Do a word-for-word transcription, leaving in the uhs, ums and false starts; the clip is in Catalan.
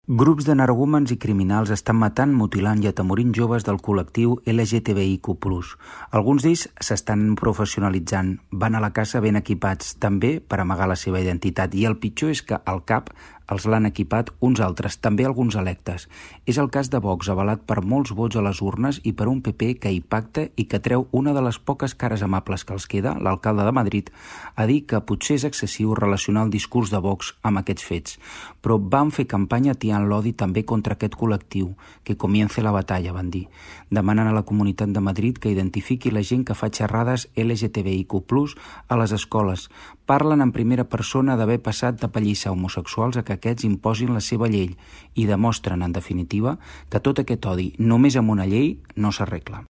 Grups d'energúmens i criminals estan matant, mutilant i atemorint joves del col·lectiu L G T B I Q plus. Alguns d'ells s'estan professionalitzant, van a la caça ben equipats, també per amagar la seva identitat. I el pitjor és que al cap els l'han equipat uns altres, també alguns electes. És el cas de Vox, avalat per molts vots a les urnes i per un P P que hi pacta i que treu una de les poques cares amables que els queda, l'alcalde de Madrid, a dir que potser és excessiu relacionar el discurs de Vox amb aquests fets. Però van fer campanya atiant l'odi també contra aquest col·lectiu. Que comience la batalla, van dir. Demanen a la Comunitat de Madrid que identifiqui la gent que fa xerrades L G T B I Q plus a les escoles. Parlen en primera persona d'haver passat de pallissa homosexuals a que aquests imposin la seva llei i demostren, en definitiva, que tot aquest odi només amb una llei no s'arregla.